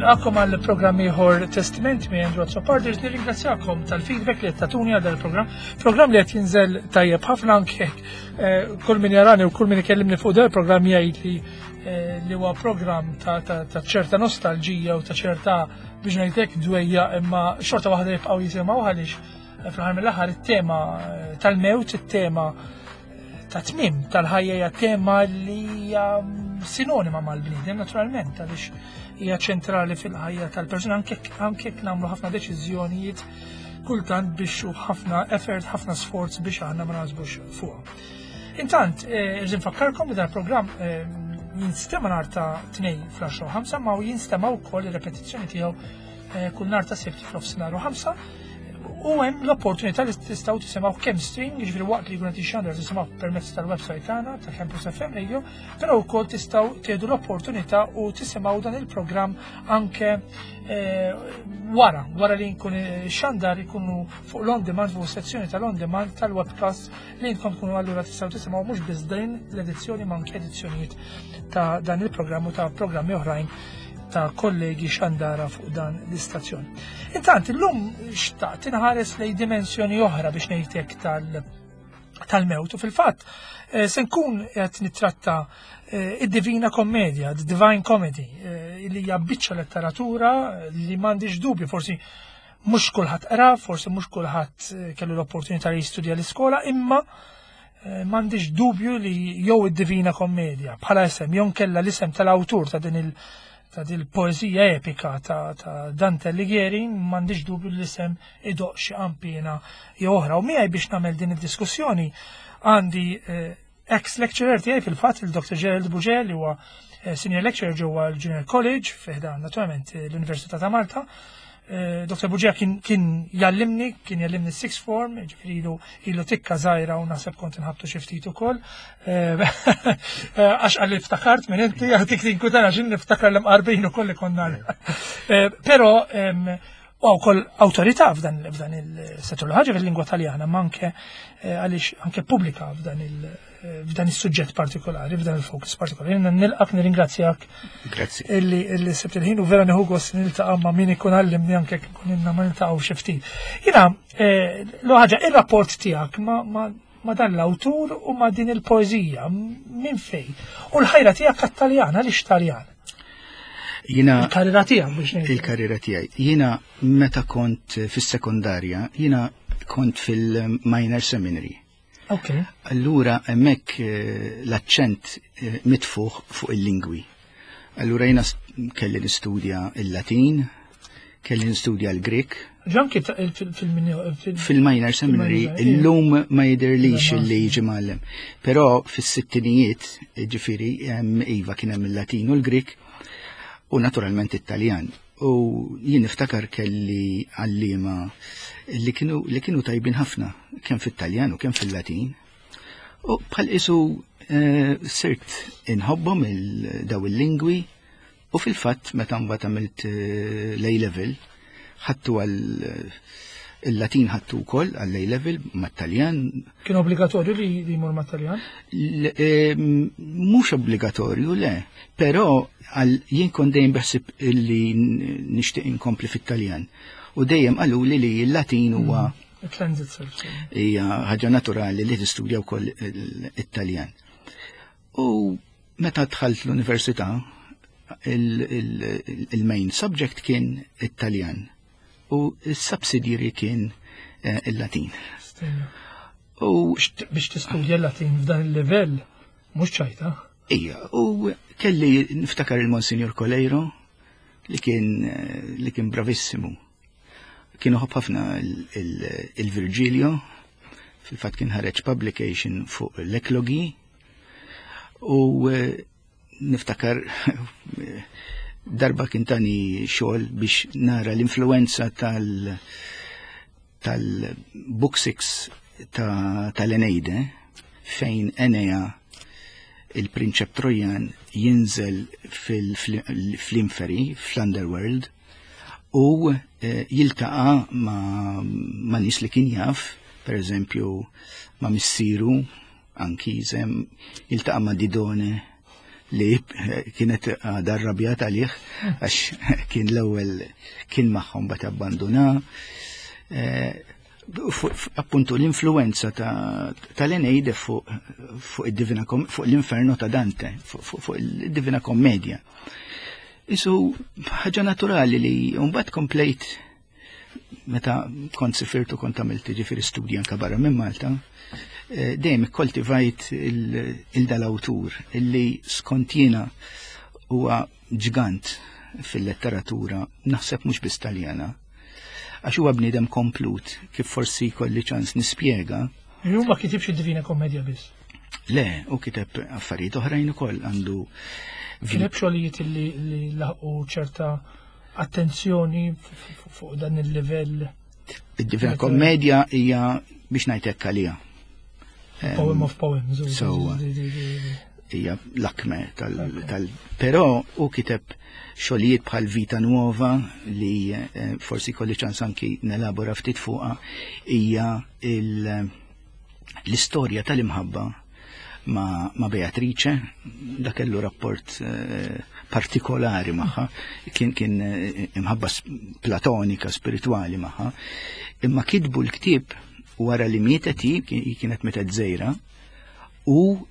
Nilqakom għal programm ieħor Testament minn Andrew Azzopardi, nirringrazzjakom tal-feedback li qed tagħtuni għal dan il-programm. Programm li qed jinżel tajjeb ħafna anke eh, kull min jarani u kull min ikellimni fuq dan il-programm jgħid li eh, li huwa programm ta' ċerta nostalġija u ta' ċerta biex ngħidlek dwejja imma xorta waħda jibqgħu jisimgħu għaliex eh, fl-aħħar mill-aħħar it-tema tal-mewt, it-tema ta' tmiem tal-ħajja hija tema li hija sinonima mal-bniedem naturalment għaliex hija ċentrali fil-ħajja tal-persuna anke jekk nagħmlu ħafna deċiżjonijiet kultant biex u ħafna effort, ħafna sforz biex aħna ma naħsbux fuqha. Intant, eh, irrid nfakkarkom li dal-programm eh, jinstema nhar ta' 2 fl-10 5 ma jinstema wkoll ir-repetizzjoni tiegħu eh, kull nhar ta' sibt fl-ofsinhar u 5 U hemm l-opportunità li tistgħu tisimgħu kemm stream, jiġifieri waqt li jkun qed jixxandar tisimgħu permezz tal-website tagħna ta' Campus FM Radio, però wkoll tistgħu tieħdu l-opportunità u tisimgħu dan il-programm anke eh, wara, wara li jkun xandar ikunu fuq l-on demand fuq sezzjoni tal-on demand tal-webcast li intkom tkunu allura tistgħu tisimgħu mhux biss din l-edizzjoni ma anke edizzjonijiet ta' dan il-programm u ta' programmi oħrajn ta' kollegi xandara fuq dan l-istazzjon. Intant, illum xtaqt inħares lej dimensjoni oħra biex ngħidlek tal- tal-mewt u fil-fatt eh, se nkun qed nittratta eh, id-Divina Kommedia, the Divine Comedy, eh, li hija biċċa letteratura li m'għandix dubju forsi mhux kulħadd qra, forsi mhux kulħadd kellu l-opportunità li jistudja l-iskola, imma Eh, m'għandix dubju li jew id-Divina Kommedja bħala isem jew kella l-isem tal-awtur ta' din il ta' din il-poeżija epika ta', ta Dante Alighieri m'għandix dubju li l-isem idoq xi qampina jew oħra. U miegħi biex nagħmel din id-diskussjoni għandi eh, ex lecturer tiegħi fil-fatt il-Dr. Gerald Buġel li huwa eh, senior lecturer ġewwa l-Junior College fiħdan naturalment l-Università ta' Malta. Eh, Dr. Buġija kien, kien jallimni, kien jallimni sixth form, ġifiri ilu, ilu tikka zaħira u naħseb kont nħabtu xi ftit ukoll. Eh, eh, għax għalli ftakart minn inti, għatik tinkutana xin niftakar l-mqarbin ukoll li konna. Pero, u wkoll awtorità f'dan il-settur l-ħaġa fil-lingwa taljana, ma anke għaliex anke pubblika f'dan il- f'dan is-suġġett partikolari, f'dan il-fokus partikolari. Jiena nilqak nirringrazzjak. Grazzi. Illi illi sibt il-ħin u vera nieħu gost niltaqa' ma' min ikun għallimni anke kun inna ma niltaqgħu xi ftit. Jiena eh, l ħaġa ir-rapport tiegħek ma, ma ma dan l-awtur u ma din il-poeżija minn fej. U l-ħajra tiegħek għat-Taljan, għaliex Taljan? Jina il-karriera tiegħek biex ngħid. Il-karriera tiegħi. Jiena meta kont fis-sekondarja, jiena kont fil-minor seminary. Okay. Allura hemmhekk eh, l-aċċent eh, mitfuħ fuq il-lingwi. Allura jiena kelli nistudja il-Latin, kelli nistudja l-Grek. Ġanki fil-minor seminary illum ma jidirlix li jiġi mgħallem. Però fis-sittinijiet, ġifieri, iva kien hemm il-Latin u l-Grek u naturalment it-Taljan. U jien niftakar kelli għalliema li kienu li kienu tajbin ħafna kemm fit-Taljan u kemm fil-Latin. U bħal isu eh, sirt inħobbhom il-daw il-lingwi u fil-fatt meta mbagħad għamilt eh, l-A level ħattu għal eh, il-Latin ħattu wkoll għall A level mat-Taljan. Kien obbligatorju li jmur mat-Taljan? Mhux obbligatorju le, però għal jien kont dejjem beħsib li nixtieq inkompli fit-Taljan. U dejjem qaluli li l-Latin huwa mm, hija ħaġa naturali li tistudja wkoll it-Taljan. U meta dħalt l-università, il-main subject kien it-Taljan u s-subsidiary kien eh, il-Latin. U biex tistudja l-Latin f'dan il-livell mhux ċajta. Ija, u kelli niftakar il-Monsignor Coleiro li kien eh, li kien bravissimu. Kien uħobb ħafna il-Virgilio, fil-fatt kien ħareġ publication fuq l-eklogi u eh, niftakar darba kien tani xogħol biex nara l-influenza tal tal-Book 6 tal-Eneide fejn Enea il-prinċep Trojan jinżel fl-inferi, fl-underworld, u eh, jiltaqa ma, ma nis li kien jaf, per eżempju, ma missieru, Anchise, jiltaqa ma Didone. li kienet għadha rrabjat għalih għax kien l-ewwel kien magħhom bat abbanduna. Eh, appuntu l-influenza tal-Eneide fuq id-Divina fuq l-Inferno ta' Dante, fuq il-Divina Kommedia. Isu ħaġa naturali li mbagħad komplejt meta kont sifirtu kont għamilt ġifieri studji anka barra minn Malta, eh, dejjem ikkoltivajt il-dal-awtur illi skont jiena huwa ġgant fil-letteratura, naħseb mhux biss Taljana. Għax huwa bniedem komplut, kif forsi kolli ċans nispjega. Ju ma kitibx id-Divina Kommedja biss. Le, u kiteb affarijiet oħrajn ukoll għandu. Kiteb xogħlijiet li laħqu ċerta attenzjoni fuq dan il-livell. Id-Divina Kommedja hija biex ngħid hekk għalija. Poem of poems. So, hija l-akme tal, tal però u kiteb xogħlijiet bħal Vita Nuova li eh, forsi kolli ċans anki nelabora ftit fuqha hija l-istorja tal-imħabba ma, ma Beatrice, da kellu rapport eh, partikolari magħha, kien kien eh, imħabba platonika, spirituali magħha, imma kitbu l-ktieb wara li mietet hi, kienet mietet żejra, u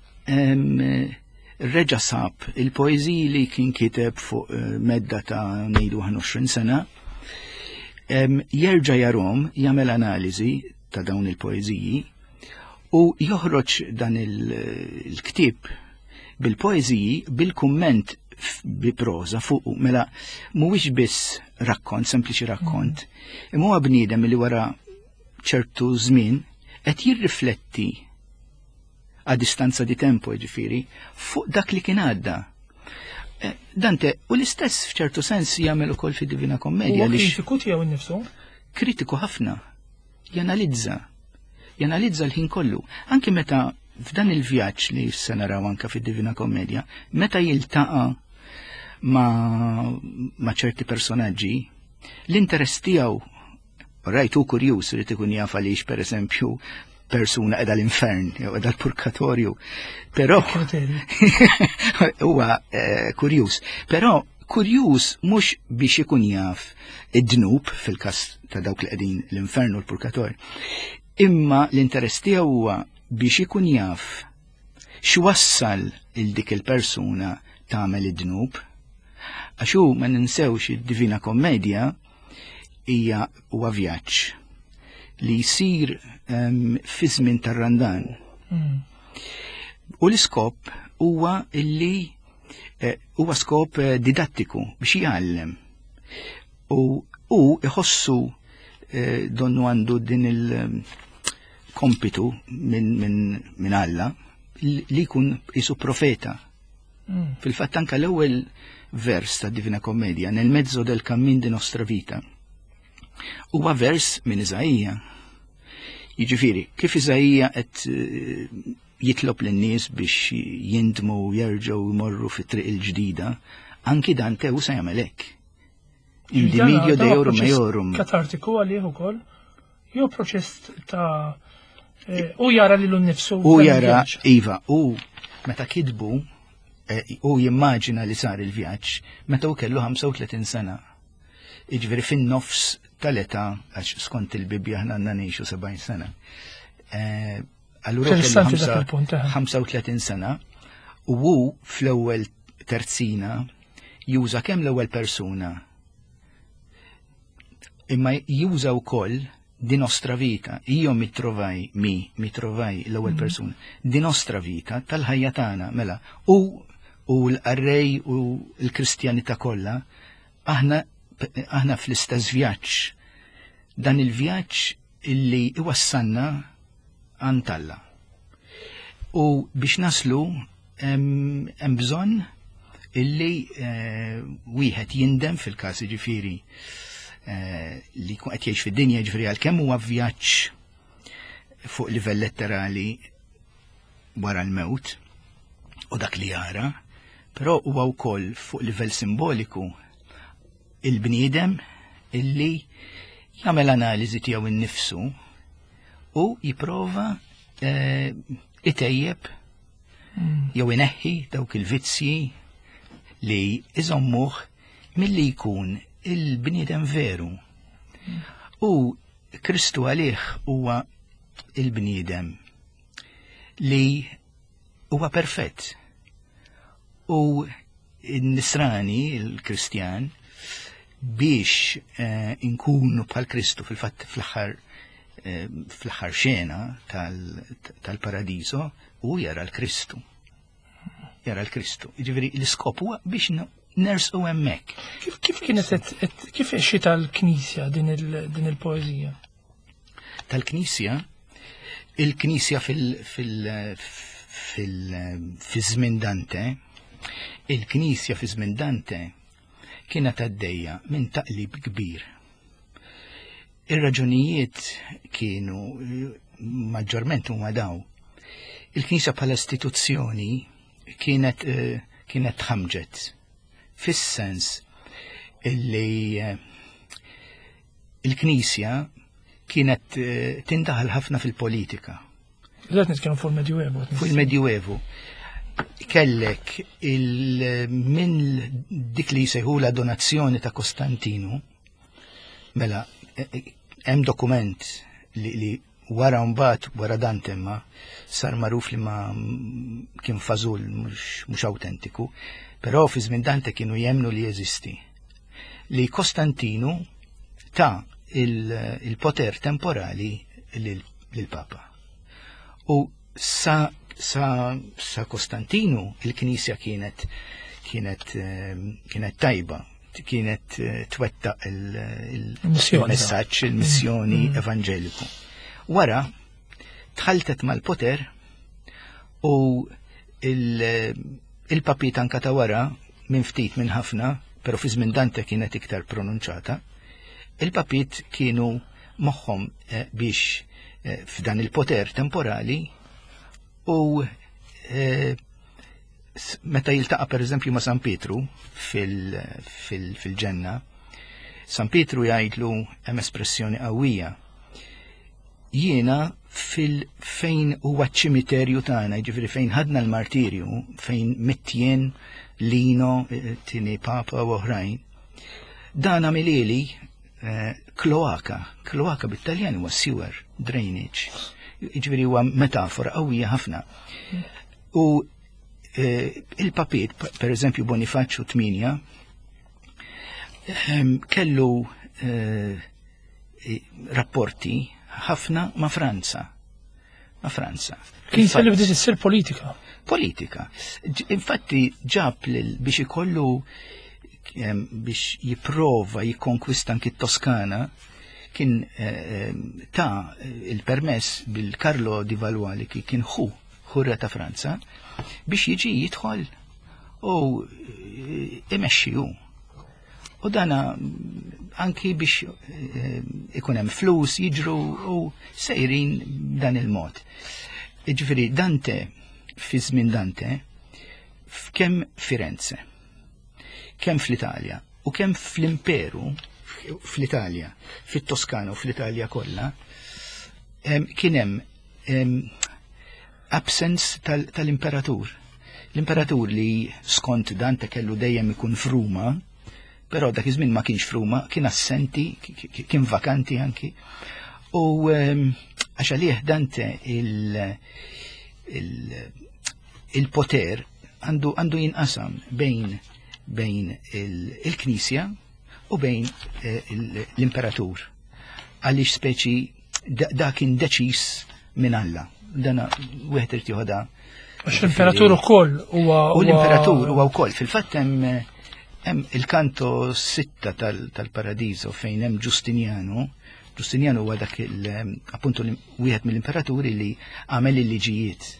reġa sab il-poeżiji li kien kiteb fuq eh, medda ta' ngħidu 21 sena, jerġa' jarom jagħmel analiżi ta' dawn il-poeżiji u joħroġ dan il-ktieb bil-poeżiji bil-kumment bi proża fuq mela mhuwiex biss rakkont, sempliċi rakkont, mm. imma huwa bniedem li wara ċertu żmien qed jirrifletti a distanza di tempo ġifieri fuq dak li kien għadda. Eh, Dante, u l-istess f'ċertu sens jagħmel ukoll fid-Divina Kommedja. Huwa kritiku tiegħu nnifsu? Kritiku ħafna. Janalizza. Janalizza l-ħin kollu. Anki meta f'dan il-vjaġġ li se naraw anka fid-Divina Kommedja, meta jiltaqa' ma, ma ċerti personaġġi, l-interess tiegħu Rajt hu kurjuż irid ikun jaf għaliex pereżempju persuna qiegħda l-infern jew qiegħda l-purkatorju. Però huwa eh, kurjuż. Però kurjuż mhux biex ikun jaf id-dnub fil-każ ta' dawk li qegħdin l-infern u l-purkatorju. Imma l-interess tiegħu huwa biex ikun jaf x'wassal il dik il-persuna tagħmel id-dnub. Għax hu ma ninsewx id-Divina Kommedja hija huwa vjaġġ li jsir um, fi żmien tar-Randan. Mm. U l-iskop huwa illi eh, huwa skop eh, didattiku biex jgħallem. U u iħossu eh, donnu għandu din il-kompitu minn min, min Alla li jkun isu profeta. Mm. Fil-fatt anka l-ewwel vers ta' Divina Commedia, nel mezzo del cammin di nostra vita, huwa vers minn Iżaija. Jiġifieri, kif Iżaija qed eh, jitlob lin-nies biex jindmu u jerġgħu jmorru fit-triq il-ġdida, anki Dante u se jagħmel hekk. Indimidio deorum meorum. Katartiku għalih ukoll, jew proċess ta' eh, u jara lilu nnifsu. U jara, iva, u meta kitbu, eh, u jimmaġina li sar il-vjaġġ, meta u kellu 35 sena. Iġveri fin-nofs tal-età, għax skont il-Bibbja ħna għandna ngħixu 70 sena. Eh, allura kellu 35 sena u hu fl-ewwel terzina juża kemm l-ewwel persuna imma juża wkoll di nostra vita, io mi trovai, mi, mi trovai l-ewwel mm. persuna, di nostra vita tal-ħajja tagħna, mela, u u l-qarrej u l-Kristjanità kollha, aħna aħna fl-istess vjaġġ. Dan il-vjaġġ illi iwassalna għand Alla. U biex naslu hemm bżonn illi eh, wieħed jindem fil-każ ġifieri eh, li jkun qed jgħix fid-dinja ġifieri għalkemm huwa vjaġġ fuq livell letterali wara l-mewt u dak li jara, però huwa wkoll fuq livell simboliku il-bniedem illi jagħmel analiżi tiegħu innifsu u jipprova eh, itejjeb. Jew ineħħi dawk il-vizzji li iżommuh milli jkun il-bniedem veru. U Kristu għalih huwa il-bniedem li huwa perfett. U n-nisrani, il-Kristjan, biex eh, inkunu bħal Kristu fil-fatt fl-aħħar eh, fl-aħħar xena tal-paradiso u jara l-Kristu. Jara l-Kristu. Ġifieri l-iskop huwa biex nersqu hemmhekk. Kif kienet kif xita l-Knisja din il-poeżija? Tal-Knisja, il-Knisja fil- fil- fil-żmien Dante, il-Knisja fi żmien Dante kienet għaddejja minn taqlib kbir. Ir-raġunijiet kienu maġġorment huma daw. Il-Knisja bħala istituzzjoni kienet eh, kienet tħamġet fis-sens illi eh, il-Knisja kienet eh, tindaħal ħafna fil-politika. Qed nitkellmu fuq il-Medjuevu. Fuq il-Medjuevu. Kellek il minn dik li jsejħula donazzjoni ta' Kostantinu, mela eh, eh, hemm dokument li, li wara mbagħad wara Dante ma sar magħruf li ma kien fażul mhux awtentiku, però fi żmien Dante kienu jemnu li jeżisti. Li Kostantinu ta' il-poter temporali lill-Papa. U sa, sa, sa Kostantinu il-Knisja kienet kienet eh, kienet tajba, kienet eh, twetta il-messaġġ, il-missjoni mm. evanġeliku. Wara tħaltet mal-poter u il-papi tanka ta' wara minn ftit minn ħafna, pero fi żmien Dante kienet iktar pronunċata, il-papit kienu moħħhom eh, biex eh, f'dan il-poter temporali u eh, meta jiltaqa' pereżempju ma' San Pietru fil-ġenna, San Pietru jgħidlu hemm espressjoni qawwija. Jiena fil-fejn huwa ċ-ċimiterju tagħna, jiġifieri fejn ħadna l-martirju, fejn mittjien Lino, tieni Papa u oħrajn, dan għamilili eh, kloaka, kloaka bit-Taljan huwa sewer, drainage. Jiġifieri huwa metafora qawwija ħafna. U eh, il-papiet, per eżempju Bonifaċċju 8, ehm, kellu eh, rapporti ħafna ma' Franza. Ma' Franza. Kien li bdiet issir politika. Politika. Infatti ġab biex ikollu biex jiprova jikkonkwista anki t-Toskana kien eh, ta' il-permess bil-Carlo di Valois li kien ħu ħurra ta' Franza biex jiġi jidħol u eh, imexxi hu. U dana anki biex eh, ikun hemm flus jiġru u sejrin dan il-mod. Ġifieri Dante fi żmien Dante f'kemm Firenze, kemm fl-Italja u kemm fl-Imperu fl-Italja, fit-Toskana u fl-Italja kollha, kien hemm absence tal-imperatur. L-imperatur li skont Dante kellu dejjem ikun f'Ruma, però dak iż-żmien ma kienx f'Ruma, kien assenti, kien vakanti anki. U għax għalih Dante il-poter għandu għandu jinqasam bejn bejn il-Knisja u bejn eh, l-imperatur. Għaliex speċi da kien deċiż minn Alla. Dana wieħed irid joħodha. Għax l-imperatur ukoll huwa. U l-imperatur huwa wkoll. Fil-fatt hemm hemm il-kanto sitta tal-Paradiso fejn hemm Ġustinjanu. Ġustinjanu huwa dak il appuntu wieħed mill-imperaturi li għamel il-liġijiet.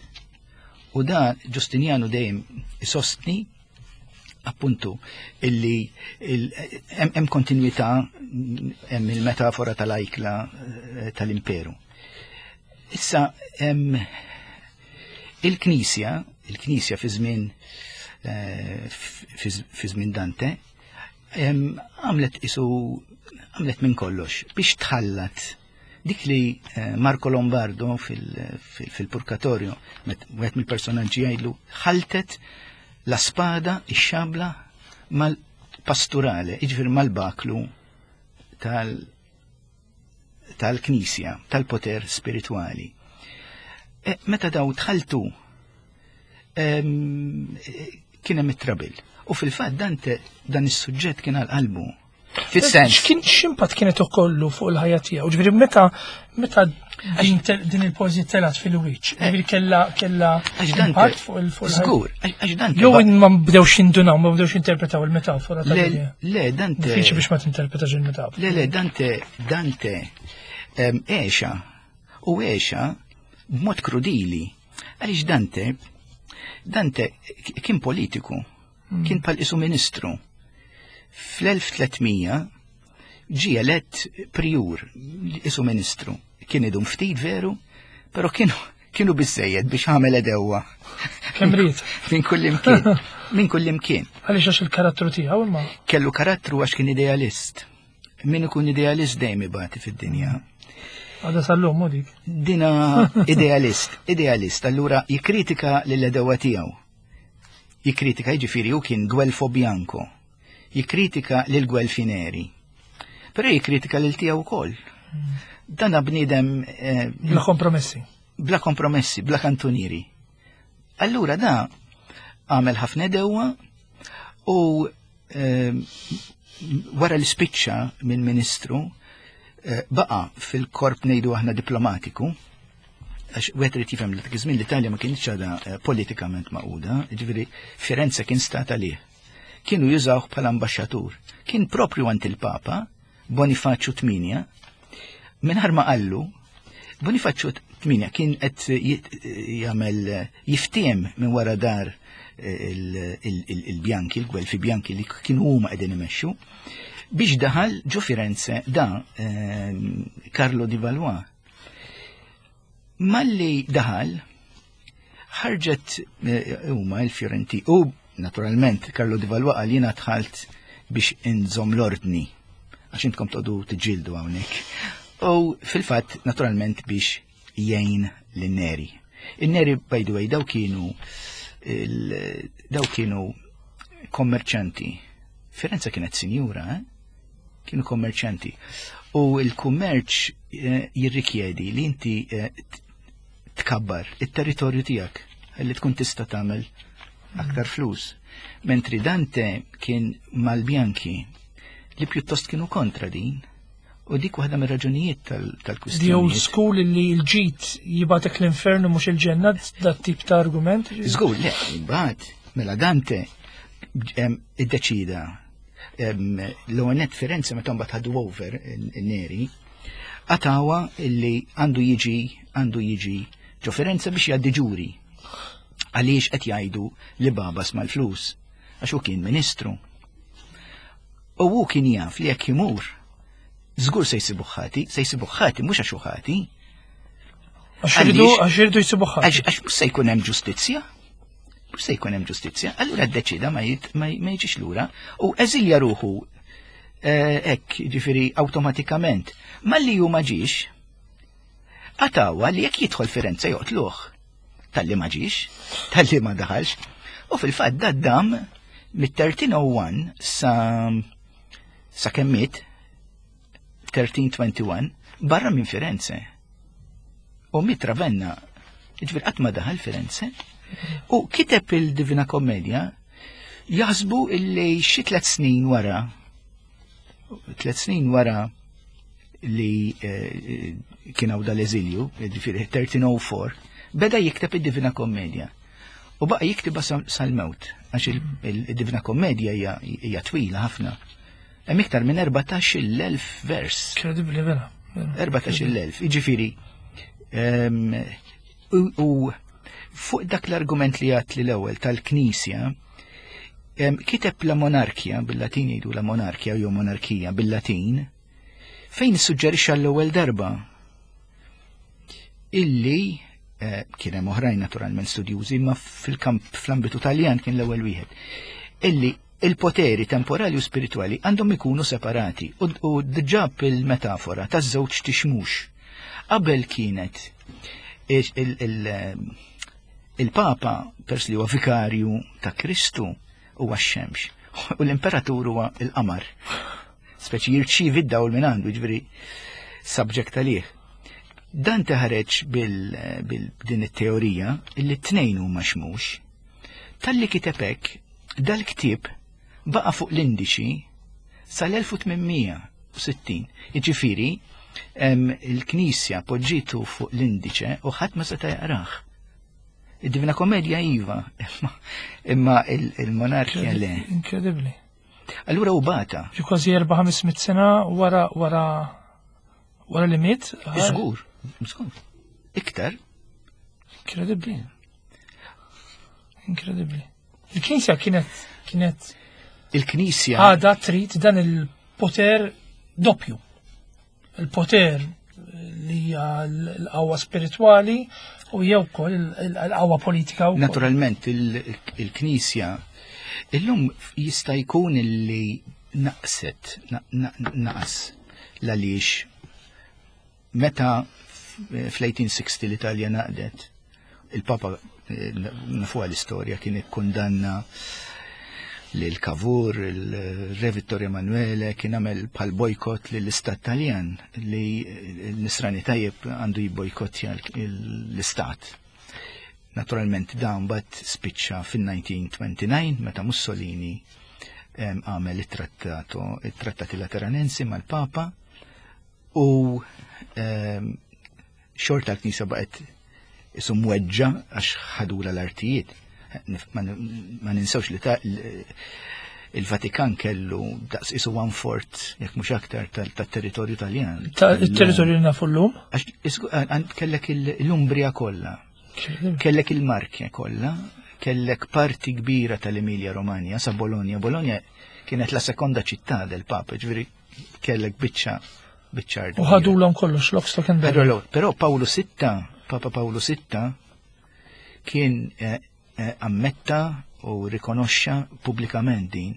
U da Ġustinjanu dejjem isostni appuntu illi hemm kontinwità hemm il-metafora tal-ajkla eh, tal-imperu. Issa hemm il-Knisja, il-Knisja fi żmien eh, fi żmien Dante, għamlet isu għamlet minn kollox biex tħallat. Dik li eh, Marco Lombardo fil-Purkatorju, wieħed mill-personaġġi jgħidlu, ħaltet la spada, ix-xabla mal-pasturale, jiġifieri mal-baklu tal- tal-Knisja, tal-poter spiritwali. E, meta daw tħaltu kien hemm it-trabil. U fil-fatt Dante dan is-suġġett kien għal qalbu. Fis-sens. X'kien x'impatt kienet ukollu fuq il-ħajja tiegħu? Ġifieri meta meta din il-poeżija telat fil-wiċċ, eh. ġifieri kella kella impatt fuq il-fuq. Żgur, għax Dante. Jew ma bdewx jindunaw, ma bdewx jinterpretaw il-metafora tal Le, Dante. Diffiċli biex ma tinterpretax il-metafora. Le, le, Dante, Dante għexa u għexa b'mod krudili. Għaliex Dante, Dante kien politiku, hmm. kien pal isu ministru. Fl-1300 ġie elett prijur, isu ministru. Kien idum ftit veru, pero kienu kienu biżejjed biex għamel edewa. Kemm ried. Minn kull imkien. Minn kull imkien. Għaliex għax il-karattru tiegħu imma. Kellu karattru għax kien idealist. Min ikun idealist dejjem ibati fid-dinja. Għada sal-lum u dik. Dina idealist, idealist, allura jikkritika lill-edewa tiegħu. Jikkritika jiġifieri hu kien Guelfo Bianco. Jikkritika lil Guelfineri. Però jikkritika lil tiegħu wkoll. Dana bniedem eh, bla kompromessi. Bla kompromessi, bla kantunieri. Allura da għamel ħafna edewa u Ehm, wara li spiċċa minn ministru, eh, baqa fil-korp ngħidu aħna diplomatiku, għax wieħed irid jifhem li dak iż-żmien l-Italja ma kienx għadha eh, politikament maquda, jiġifieri Firenze kien stat għalih. Kienu jużawh bħala ambaxxatur. Kien propju għand il-Papa, Bonifaċju 8, mingħajr ma qallu, Bonifaċju 8 kien qed jagħmel jiftiem minn wara dar eh, il-Bjanki, il-Gwelfi Bjanki li kienu huma qegħdin imexxu, biex daħal ġo Firenze da eh, Carlo di Valois. Malli daħal, ħarġet eh, huma il-Fiorenti u naturalment Carlo Di Valois qal jiena dħalt biex inżomm l-ordni għax intkom toqgħodu tiġġieldu hawnhekk. U fil-fatt naturalment biex jgħin lin-Neri. In-Neri by the way daw kienu daw kienu kommerċanti. Firenze kienet sinjura, eh? Kienu kommerċanti. U l-kummerċ eh, jirrikjedi li inti eh, tkabbar it-territorju tiegħek li tkun tista' tagħmel aktar flus. Mentri Dante kien mal-Bjanki li pjuttost kienu kontra din. U dik waħda mir-raġunijiet tal-kwistjoni. The old school li l-ġid jibatek l-infernu mhux il-ġenna dat tip ta' argument. Żgur, le, imbagħad mela Dante iddeċida l-għonet Firenze meta mbagħad ħadu over Neri, għatawa illi għandu jiġi għandu jiġi ġo Firenze biex jgħaddi ġuri. Għaliex qed jgħidu li babas mal-flus għax hu kien ministru. U hu kien jaf li jekk imur żgur se jsibu ħati, se jsibu ħati mhux għax hu ħati. Għax irridu jsibu ħati. Għax mhux se jkun hemm ġustizzja. Mhux se jkun hemm ġustizzja. Allura ddeċida ma jiġix lura u eżilja ruħu eh, hekk, ġifieri awtomatikament. Malli hu ma ġiex, għatawa li jekk jidħol Firenze joqtluh. Talli ma ġiex, talli ma daħalx. U fil-fatt da dam mit-1301 sa sa kemmiet 1321 barra minn Firenze. U miet Ravenna, ġifieri qatt ma daħal Firenze. U kiteb il-Divina Commedia jaħsbu illi xi tliet snin wara tliet snin wara li eh, kien hawn dal-eżilju, ġifieri 1304, beda jikteb id-Divina Commedia. U baqa' jiktibha sal-mewt, għax il-Divina Commedia hija twila ħafna. Hemm iktar minn 14,000 vers. Kredibbli vera. 14,000, jiġifieri. Ehm, u fuq dak l-argument li għat li l-ewwel tal-Knisja, ehm, kiteb la monarkja, bil-Latin jgħidu la monarkja jew monarkija bil-Latin, fejn suġġerixxa l-ewwel darba illi eh, kien hemm oħrajn naturalment studjużi, ma fil-kamp fl-ambitu Taljan kien l-ewwel wieħed, illi il-poteri temporali u spiritwali għandhom ikunu separati u ġab il-metafora taż-żewġ tixmux. Qabel kienet il-Papa, pers li huwa vikarju ta' Kristu, huwa x-xemx u l-imperatur huwa l-qamar. Speċi jirċievi d-dawl minn għandu, ġifieri subject għalih. Dan teħareġ bil-din it-teorija li t-tnejn huma xmux. Talli kiteb hekk, dal-ktieb baqa' fuq l-indiċi sal-1860. Jiġifieri, il-Knisja poġġitu fuq l-indiċe u ħadd ma seta' jaqrah. Id-Divina Komedja iva, imma il-monarkija le. Inkredibbli. Allura u bata. Ġi kważi 400-500 sena wara wara wara li miet. Żgur, żgur. Iktar. Inkredibbli. Inkredibbli. Il-Knisja kienet kienet Il-Knisja għada trid dan il-poter doppju. Il-poter li hija l-qawwa spiritwali u jew ukoll il-qawwa politika wkoll. Naturalment il-Knisja illum jista' jkun li naqset, naqas l-għaliex meta fl-1860 l-Italja naqdet, il-Papa eh, nafuha l-istorja kien ikkundanna lil Cavour, il-Re Vittorio Emanuele kien għamel bħal bojkott lill-Istat Taljan li l-Nisrani tajjeb għandu jibbojkottja l-Istat. Naturalment dan bat spiċċa fin-1929 meta Mussolini għamel it-trattato, it-trattati lateranensi mal-Papa u xorta l-Knisja baqgħet isu mweġġa għax ħadula l-artijiet. Ma ninsewx li ta' il-Vatikan kellu daqs isu one fort, jekk mhux aktar tat-territorju Taljan. Il-territorju li nafu llum? Għax kellek l-Umbria kollha, kellek il-Marke kollha, kellek parti kbira tal-Emilia Romagna sa Bologna. Bologna kienet la sekonda ċittà del Papa, ġifieri kellek biċċa biċċa U ħadulhom kollox lock stock and barrel. Però Pawlu Sitta, Papa Pawlu Sitta kien eh, eh, ammetta u rikonoxxa pubblikament din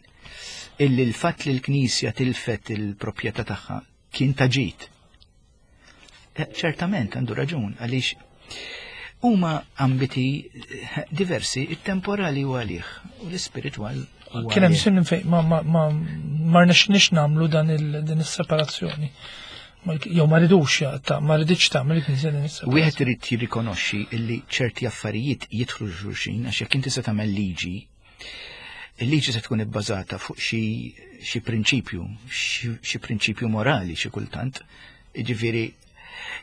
illi l-fatt li l-Knisja tilfet il-proprjetà tagħha kien ta' ġid. Eh, ċertament għandu raġun għaliex huma ambiti eh, diversi, it-temporali u għalih u l-ispiritwal. Kien hemm sin fejn ma ma ma ma rnexxniex nagħmlu dan din is-separazzjoni. Jew ma ridux ta' ma ridx tagħmel il-Knisja din is-separazzjoni. Wieħed irid jirrikonoxxi li ċerti affarijiet jidħlu xulxin għax jekk inti se tagħmel liġi Il-liġi se tkun ibbażata fuq xi prinċipju, xi prinċipju morali xi kultant. Jiġifieri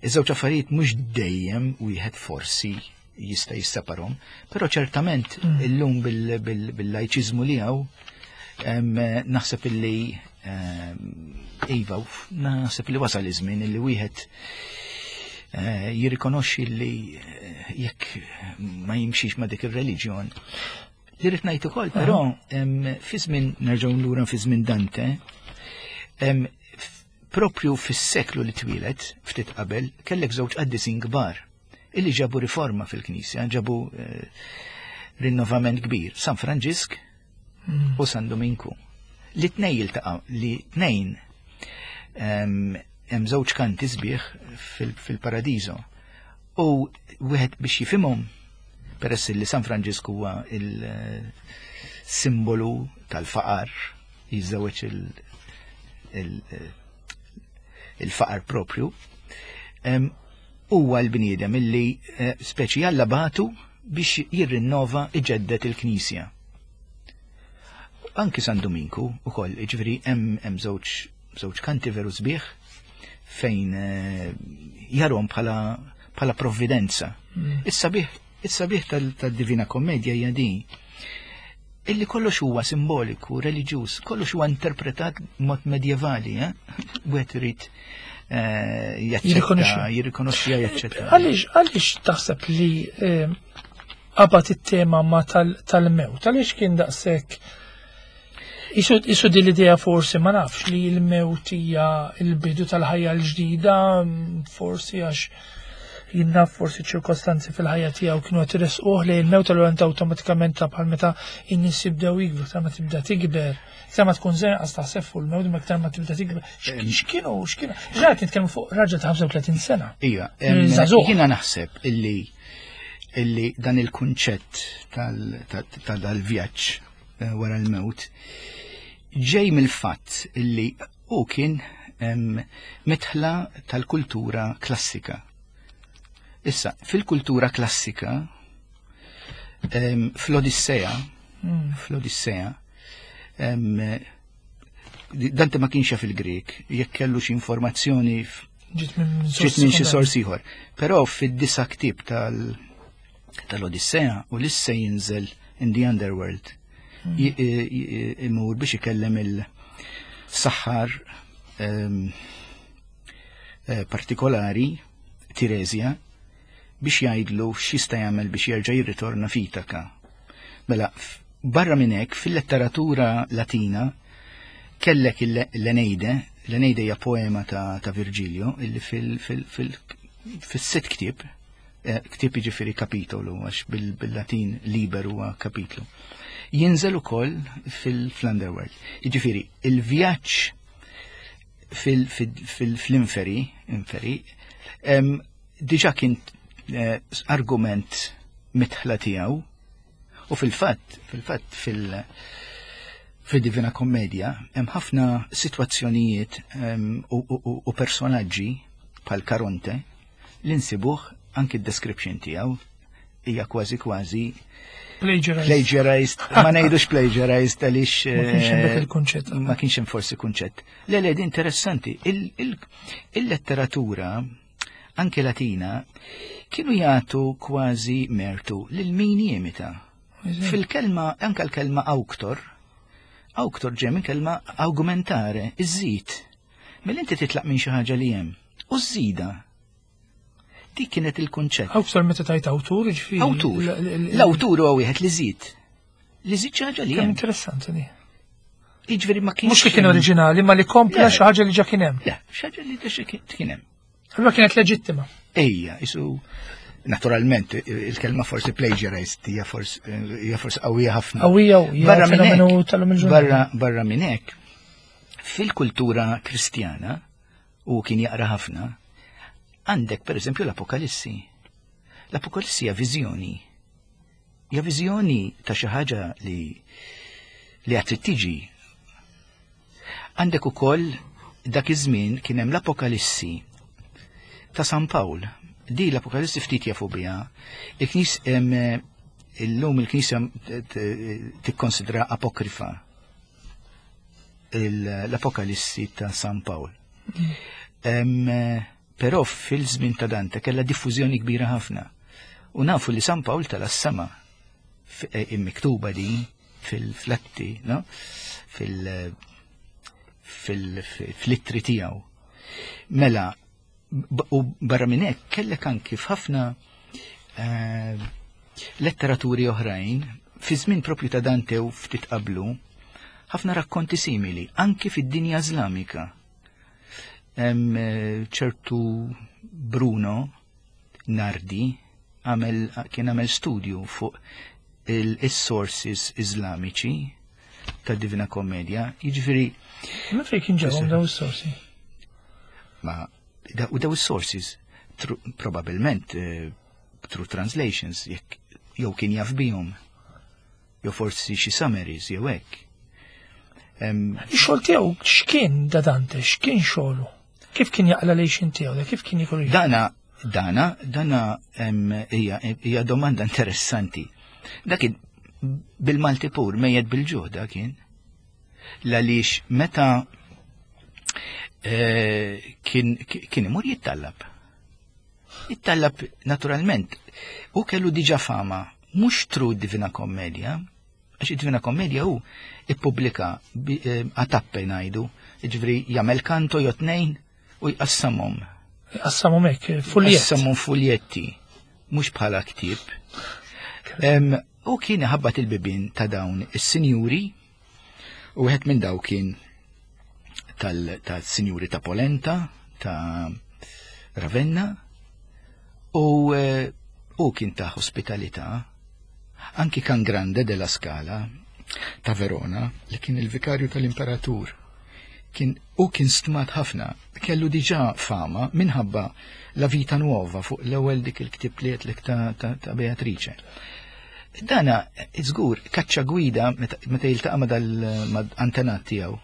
iż-żewġ affarijiet mhux dejjem wieħed forsi jista' jisseparhom, però ċertament mm. illum bil-lajċiżmu li hawn naħseb illi iva, naħseb li wasal iż-żmien illi wieħed eh, jirrikonoxxi li eh, jekk ma jimxix ma dik ir-reliġjon Li rrid ngħid ukoll, però fi żmien nerġgħu lura fi żmien Dante, propju fis-seklu li twieled ftit qabel kellek żewġ qaddisin kbar illi ġabu riforma fil-Knisja, ġabu eh, rinnovament kbir, San Franġisk mm. u San Dominku. Li tnej jiltaqa' li tnejn hemm żewġ kanti sbieħ fil-paradiso. U wieħed biex jifhimhom peress li San Franġisku huwa il-simbolu tal-faqar, jiżżewweġ il-faqar propju, huwa l-bniedem illi eh, speċi Alla batu biex jirrinnova iġeddet il-Knisja. Anki San Dominku ukoll, jiġifieri hemm żewġ kanti veru sbieħ fejn eh, jarhom bħala bħala provvidenza. Mm. Is-sabiħ is-sabiħ tal-Divina Kommedja hija din illi kollox huwa simboliku, reliġjuż, kollox huwa interpretat mod medjevali, eh? Wieħed irid eh, jaċċetta, jirrikonoxxi jaċċetta. Għaliex għaliex taħseb li eh, qabad it-tema ma tal-mewt, għaliex kien daqshekk Isu din l-idea forsi ma nafx li l-mewt hija l-bidu tal-ħajja l-ġdida, forsi għax Jien naf forsi ċirkostanzi fil-ħajja tiegħu kienu qed iresquh lejn il-mewt allura inti awtomatikament ta' bħal meta n-nies jibdew jikbru, iktar ma tibda tikber, iktar ma tkun żgħir qas taħseb fuq il-mewt, imma iktar ma tibda tikber. X'kienu, x'kienu? Ġra qed nitkellmu fuq raġel ta' 35 sena. Ija, jiena naħseb illi illi dan il-kunċett tal-vjaġġ eh, wara l-mewt ġej mill-fatt illi Hu kien midħla tal-kultura klassika. Issa, fil-kultura klassika, fl-Odissea, hmm. fl-Odissea, Dante ma kienx jaf il-Grek, jekk kellu xi informazzjoni ġiet minn xi sors ieħor. Però fid-disa ktieb tal-Odissea u lisse jinżel in the underworld. Imur biex ikellem il-saħħar ehm, eh, partikolari Tiresia biex jgħidlu x'jista' jagħmel biex jerġa' jirritorna f'Itaka. Mela, barra minn hekk fil-letteratura Latina kellek l-Eneide, l-Eneide hija poema ta', ta Virgilio illi fil-sitt ktieb Eh, ktieb jiġifieri kapitolu għax bil-Latin liber huwa kapitlu. Jinżel ukoll fil-Underworld. Jiġifieri il-vjaġġ fil-inferi, inferi, diġa kien eh, argument mitħla tiegħu u fil-fatt, fil-fatt fil- fil-Divina Kommedia hemm ħafna sitwazzjonijiet u personaġġi bħal Karonte li nsibuh anki d-description tiegħu hija kważi kważi plagiarized. Plagiarized, ma ngħidux plagiarized għaliex ma kienx hemm dak eh, il-kunċett. Ma kienx hemm forsi kunċett. Le le interessanti, il-letteratura anke Latina kienu jagħtu kważi mertu lil min jimita. Fil-kelma anke l-kelma auktor, auktor ġej minn kelma augmentare, iżżid. Mela inti titlaq minn xi ħaġa li hemm u żżida. Dik kienet il-kunċett. Awtur meta tajt awtur, ġifieri. Awtur. L-awtur huwa wieħed li żid. Li żid xi ħaġa li hemm. Interessanti di. Jiġifieri ma kienx. Mhux li kien oriġinali, ma li kompla xi ħaġa li ġa kien hemm. Le, xi ħaġa li ġa kien hemm. Allura kienet leġittima. Ejja, isu naturalment il-kelma forsi plagiarized hija forsi hija forsi qawwija ħafna. Qawwija u barra minn hekk. Barra barra minn hekk Fil-kultura Kristjana, u kien jaqra ħafna, għandek per eżempju l-Apokalissi. L-Apokalissi hija viżjoni. Hija viżjoni ta' xi ħaġa li li għad trid tiġi. Għandek ukoll dak iż-żmien kien hemm l-Apokalissi ta' San Pawl. Di l-Apokalissi ftit jafu biha. Il-Knis illum il-Knisja tikkonsidra apokrifa l-Apokalissi ta' San Pawl. Però fil-żmien ta' Dante kellha diffużjoni kbira ħafna. U nafu li San Pawl tala s-sema e, immiktuba din fil-flatti, no? fil-ittri tiegħu. Mela, U barra minn hekk kellek anki f'ħafna eh, letteraturi oħrajn, fi żmien propju ta' Dante u ftit qablu, ħafna rakkonti simili, anki fid-dinja Iżlamika. Hemm eh, ċertu Bruno Nardi għamel kien għamel studju fuq il-sources Iżlamiċi ta' Divina Kommedia, jiġifieri. Ma fejn kien ġewhom daw is-sorsi? Ma u daw is-sources probabilment eh, through translations jekk jew kien jaf bihom jew forsi xi summaries jew hekk. Ix-xogħol tiegħu x'kien da Dante, x'kien xogħlu? Kif kien jaqla lejxin tiegħu, kif kien jikol? Dana, dana, dana hija domanda interessanti. Dak kien bil-Malti pur mejjed bil-ġuħ dak kien. L-għaliex meta eh, kien kien imur jittallab. Jittallab naturalment. U kellu diġa fama, mhux tru Divina Kommedia, għax id-Divina Kommedia hu ippubblika eh, għatappe ngħidu, jiġifieri jagħmel kanto jew tnejn u jqassamhom. Jqassamhom hekk, fuljetti. Jqassamhom fuljetti, mhux bħala ktieb. U kien iħabbat il-bibien ta' dawn is-sinjuri u wieħed minn daw kien tal-sinjuri ta' Polenta, ta' Ravenna, U eh, u kien ta' ospitalità, anki Can Grande della Scala ta' Verona, li kien il-vikarju tal-imperatur. Kien u kien stmat ħafna, kellu diġà fama minħabba La Vita Nuova fuq l-ewwel dik il-ktib li għedtlek ta', ta, ta Beatrice. Dana, żgur, kaċċa gwida meta jiltaqa' ma' dal-antenat tiegħu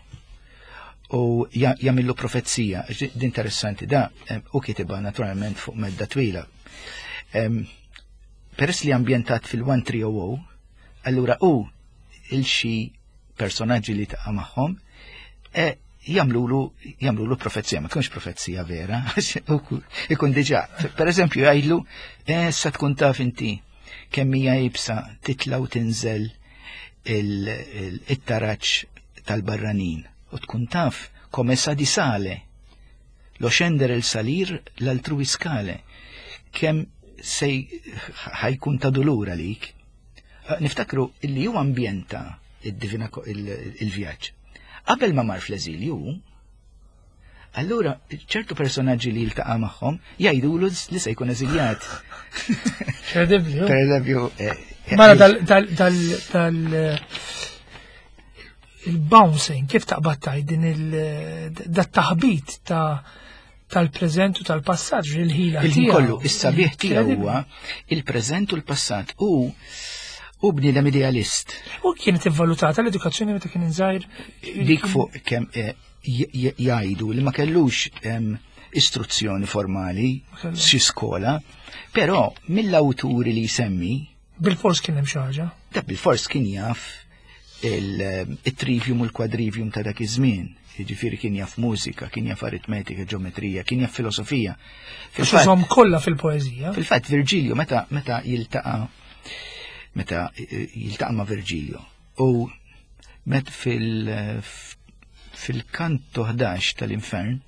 u jagħmillu profezija. Interessanti da, u kitibha naturalment fuq medda twila. Peress li ambjentat fil-1300, allura u il-xi personaġġi li taqa' magħhom e, jagħmlulu jagħmlulu profezija, ma tkunx profezija vera, ikun diġà. Per eżempju jgħidlu, e, sa tkun taf inti kemm hija ibsa titla' u tinżel il-taraġ tal-barranin u tkun taf come sa di sale lo scendere il salir l-altrui scale kemm sej ħajkun ta' dulur għalik. Niftakru illi ju ambjenta id-divina il-vjaġġ. Qabel ma mar fl-eżilju, Allura, ċertu personaġġi li jiltaqa' magħhom jgħidulu li se jkun eżiljat. Kredibbli. Per eżempju. Eh, eh, Mara dal dal il-bouncing, kif taqbad taj din il-taħbit ta' tal-preżent u tal-passat, il-ħila. Il-ħin kollu, is-sabiħ tiegħu huwa il-preżent u l-passat u u bniedem idealist. U kienet ivvalutata l-edukazzjoni meta kien żgħir. Dik fuq kemm eh, jgħidu li ma kellux istruzzjoni formali xi skola, però mill-awturi li jsemmi. Bil-fors kien hemm xi ħaġa. Da bil-fors kien jaf il-trivium u l-quadrivium ta' dak iż-żmien. Jiġifieri kien jaf mużika, kien jaf aritmetika, ġeometrija, kien jaf filosofija. Fil-fatt kollha fil-poeżija. Fil-fatt Virgilio meta meta jiltaqa' meta jiltaqa' ma' Virgilio u met fil fil-kanto 11 tal-infern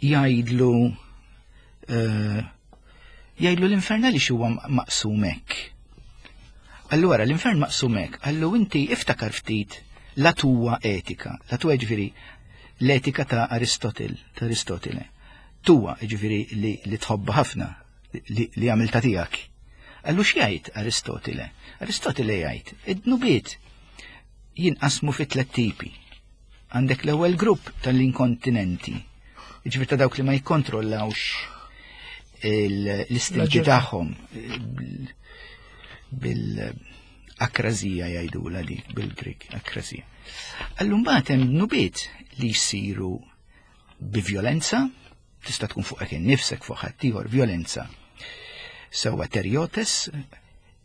jgħidlu eh, jgħidlu l-infern għaliex huwa maqsum hekk. Allura l-infern maqsum hekk, allu inti iftakar ftit la tuwa etika, la tuwa ġifieri l-etika ta' Aristotel, ta' Aristotele. Tuwa ġifieri li, li tħobba ħafna, li, li għamilta tiegħek. Allu x'jgħid Aristotele? Aristotele jgħid, id-dnubiet jinqasmu fi tliet tipi. Għandek l-ewwel grupp tal-inkontinenti, jiġifieri ta' dawk li ma jikkontrollawx l-istinti tagħhom bil-akrazija jgħidula dik bil-Grik, akrazija. Allum mbagħad hemm dnubiet li jsiru bi violenza, tista' tkun fuqek innifsek fuq ħaddieħor violenza. Sewwa terjotes,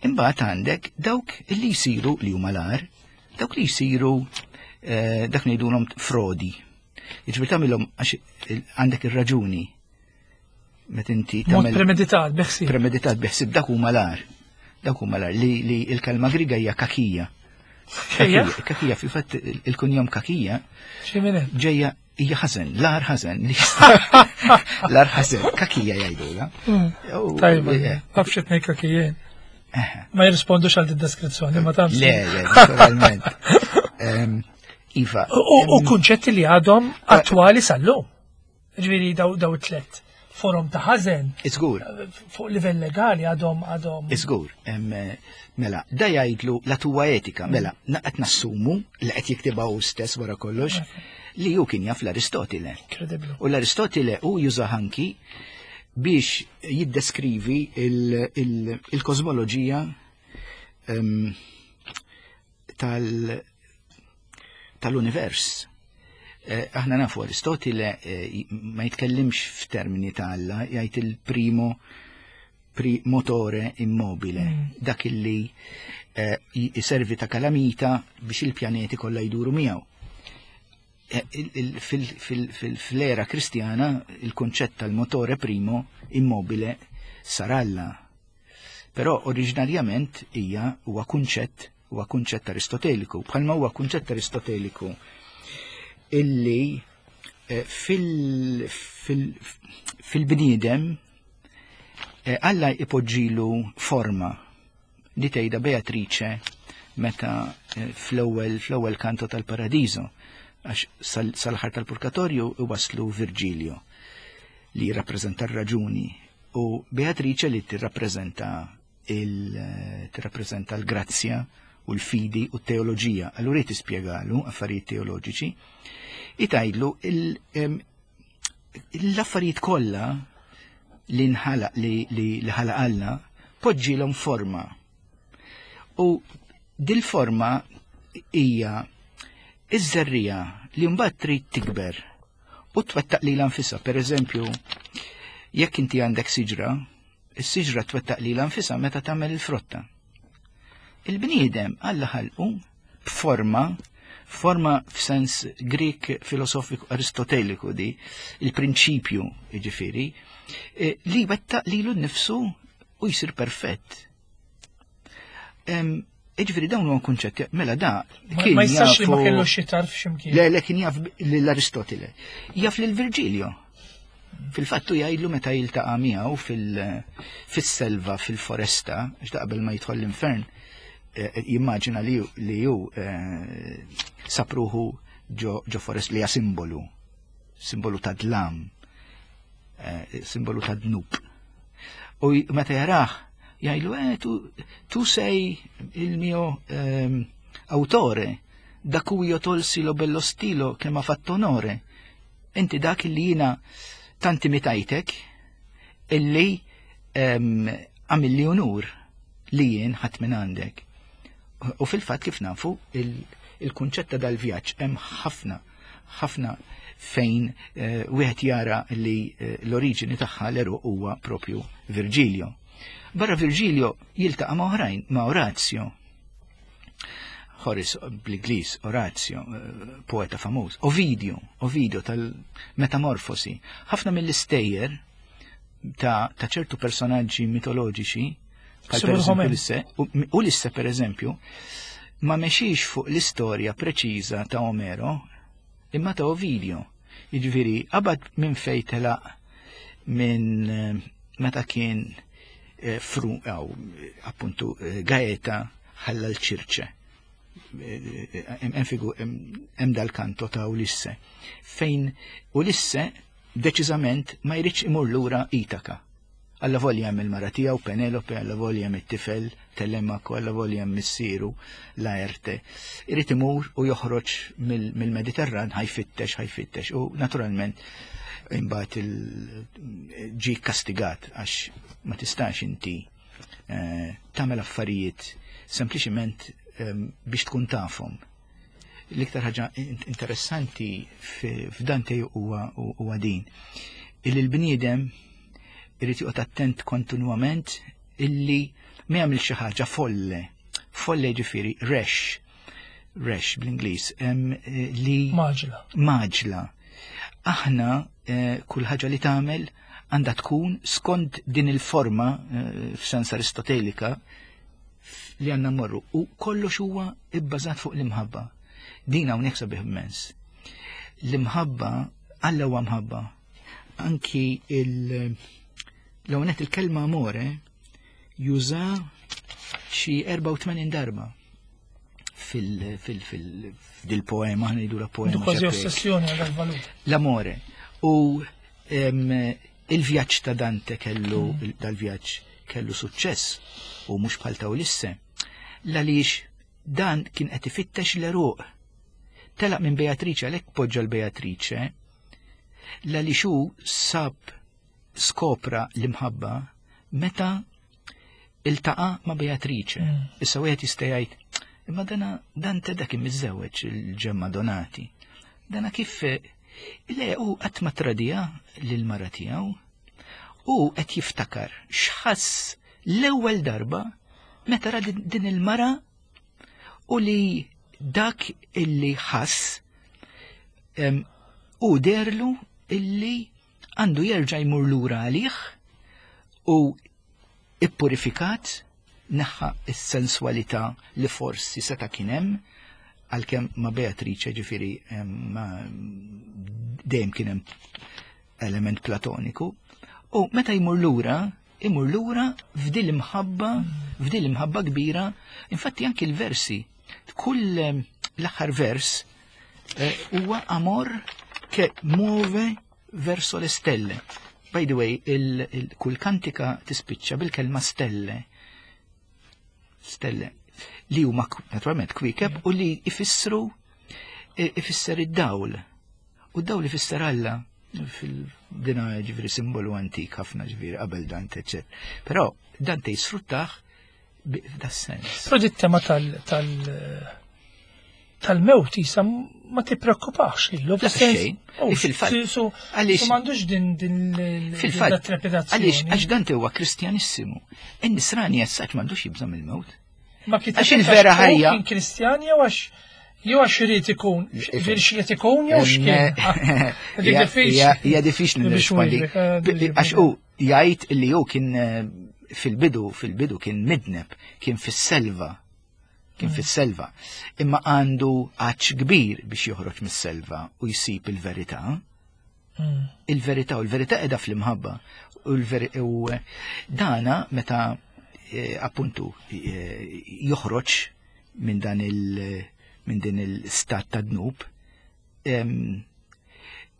imbagħad għandek dawk li jsiru li huma l-agħar, dawk li jsiru eh, dak ngħidulhom frodi. Jiġifieri tagħmilhom għax għandek ir-raġuni meta inti tagħmel premeditat biħsib. Premeditat biħsib dak huma l-agħar. Dak huma l-agħar li, li l-kelma Griega hija kakija. Kakija, kakija fil-fatt il-kunjom kakija. Ġejja hija ħażen, l-ar ħażen, l-ar ħażen, kakija jgħidula. Hmm. Tajba, eh. taf xi tnejn kakijien. Eh. Ma jirrispondux għal deskrizzjoni, ma tafx. Le, le, naturalment. Iva. U kunċetti li għadhom attwali sal-lum. Ġifieri daw daw tlet forum ta' ħażen. Iżgur. Fuq livell legali għadhom għadhom. Iżgur. Mela, da jgħidlu la tuwa etika, mela, qed nassumu li qed jiktibha hu stess wara kollox li hu kien jaf l-Aristotile. U l-Aristotile hu juża anki biex jiddeskrivi il-kosmoloġija tal-univers. Eh, aħna nafu Aristotile eh, ma jitkellimx f'termini ta' Alla, jgħid il-primo pri motore immobile, mm. dak illi eh, jiservi ta' kalamita biex il-pjaneti kollha jduru miegħu. Fl-era kristjana il-konċett tal-motore primo immobile sar Alla. Però oriġinarjament hija huwa kunċett huwa kunċett Aristoteliku, bħalma huwa kunċett Aristoteliku illi eh, fil-bniedem eh, Alla ipoġġilu forma li tgħidha Beatrice meta eh, fl-ewwel fl-ewwel kanto tal-Paradiso għax sal-aħħar tal-Purgatorju iwaslu Virgilio li jirrappreżenta r-raġuni. U Beatrice li tirrappreżenta il tirrappreżenta l-grazzja u l-fidi u t-teoloġija. Allura tispjegalu affarijiet teoloġiċi. Tgħidlu l-affarijiet kollha li nħalaq li ħalaq Alla poġġilhom forma. U dil-forma hija iż-żerrija li mbagħad trid tikber u twettaq lilha nfisha. Per eżempju, jekk inti għandek siġra, is-siġra twettaq lilha nfisha meta tagħmel il-frotta. Il-bniedem Alla ħalqu b'forma, forma f'sens Grik filosofiku aristoteliku di, il-prinċipju ġifieri, li wettaq lilu nnifsu u jisir perfett. Ġifieri dawn huwa kunċetti, mela da kien Ma jistax li ma kellu xi tarf x'imkien. Le, kien jaf l-Aristotele. Jaf lil Virgilio. Fil-fattu jgħidlu meta jiltaqa' miegħu fis-selva, fil-foresta, għax qabel ma jidħol l-infern, jimmaġina li ju sapruħu ġo forest li hija simbolu, simbolu ta' dlam, simbolu ta' dnub. U meta jarah, jgħidlu, tu sei il mio autore, da cui io tolsi lo bello stilo che m'ha fatto onore. Inti dak li jina tanti mitajtek illi għamilli unur li jien ħadd minn għandek. U fil-fatt kif nafu il-kunċett ta' dal-vjaġġ hemm ħafna ħafna fejn wieħed jara li l-oriġini tagħha l-eruq huwa propju Virgilio. Barra Virgilio jiltaqa' ma' oħrajn, ma' Orazio. Horace bl-Ingliż, Orazio, poeta famuż. Ovidio, Ovidio tal-Metamorfosi. Ħafna mill-istejjer ta' ċertu personaġġi mitoloġiċi, bħal per eżempju Ulisse, Ulisse per eżempju, ma mexiex fuq l-istorja preċiża ta' Omero, imma ta' Ovidio. Jiġifieri, qabad minn fej telaq minn meta kien fru, aw, appuntu, Gaeta ħalla l-Ċirċe. Hemm dal-kanto ta' Ulisse, fejn Ulisse deċiżament ma jridx imur lura Itaka. Alla volja hemm il-mara tiegħu Penelope, alla volja hemm it-tifel Telemaco, alla volja hemm missieru Laerte. Irid imur u joħroġ mill-Mediterran, ħajfittex, ħajfittex u naturalment imbagħad ġi kastigat għax ma tistax inti tagħmel affarijiet sempliċiment biex tkun tafhom. L-iktar ħaġa interessanti f'Dante huwa din. Illi l-bniedem irid joqgħod attent kontinwament illi ma jagħmel xi ħaġa folle. Folle ġifieri rash. Rash bl-Ingliż li Maġla. Maġla. Aħna kull ħaġa li tagħmel għandha tkun skont din il-forma f'sens aristotelika li għandna mmorru u kollox huwa ibbażat fuq l-imħabba. Din hawnhekk sabiħ immens. L-imħabba, Alla huwa mħabba. Anki l-għonet il-kelma amore juża xi 84 darba fil-poema, ngħidu la poema. Kważi ossessjoni għal valur. L-amore. U il-vjaġġ ta' Dante kellu, dal-vjaġġ kellu suċċess u mhux bħal ta' Ulisse. Għaliex dan kien qed ifittex l-eruq. Telaq minn Beatrice, għalhekk poġġa l-Beatrice, għaliex hu sab skopra l-imħabba meta iltaqa' ma' Beatrice. Issa wieħed jista' jgħid, imma dana Dante dak miżżewweġ il-Ġemma Donati. Dana kif le u qatt ma tradiha lil mara tiegħu u qed jiftakar x'ħass l-ewwel darba meta ra din il-mara u li dak illi ħass u derlu illi għandu jerġa' jmur lura għalih u ippurifikat neħħa s-sensualità li forsi seta' kien hemm għalkemm ma' Beatrice ġifieri dejjem kien hemm element platoniku. U meta jmur lura, imur lura f'dil imħabba, f'dil imħabba kbira, infatti anki l-versi, kull l-aħħar vers huwa amor che muove verso le stelle. By the way, kull kantika tispiċċa bil-kelma stelle. Stelle. Li huma naturalment kwiekeb u li ifissru ifisser id-dawl. U d-dawl ifisser Alla fil-dina ġifieri simbolu antik ħafna ġifieri qabel Dante, eċċetera. Però Dante jisfruttah f'das-sens. Però dit tema tal tal-mewt jisa ma tippreokkupax lilu. Fis-sens. Oh, fil-fatt. Għaliex m'għandux din din fil-fatt trepidazzjoni. Għaliex għax Dante huwa Kristjanissimu. In-Nisrani jessaċ m'għandux jibża' mill-mewt. Ma kien għax il-vera ħajja. Kien Kristjan jew għax jew għax irid ikun, ġifieri xi ikun jew x'kien. Hija diffiċli nirrispondi. Eh, għax hu jgħid li hu kien eh, fil-bidu, fil-bidu kien midneb, kien fis-selva, kien mm. fis-selva. Imma għandu għaċ kbir biex joħroġ mis-selva u jsib il-verità. Mm. Il-verità u l-verità qiegħda fl-imħabba. U eh, dana meta eh, appuntu eh, joħroġ minn dan il- minn din il-stat ta' dnub,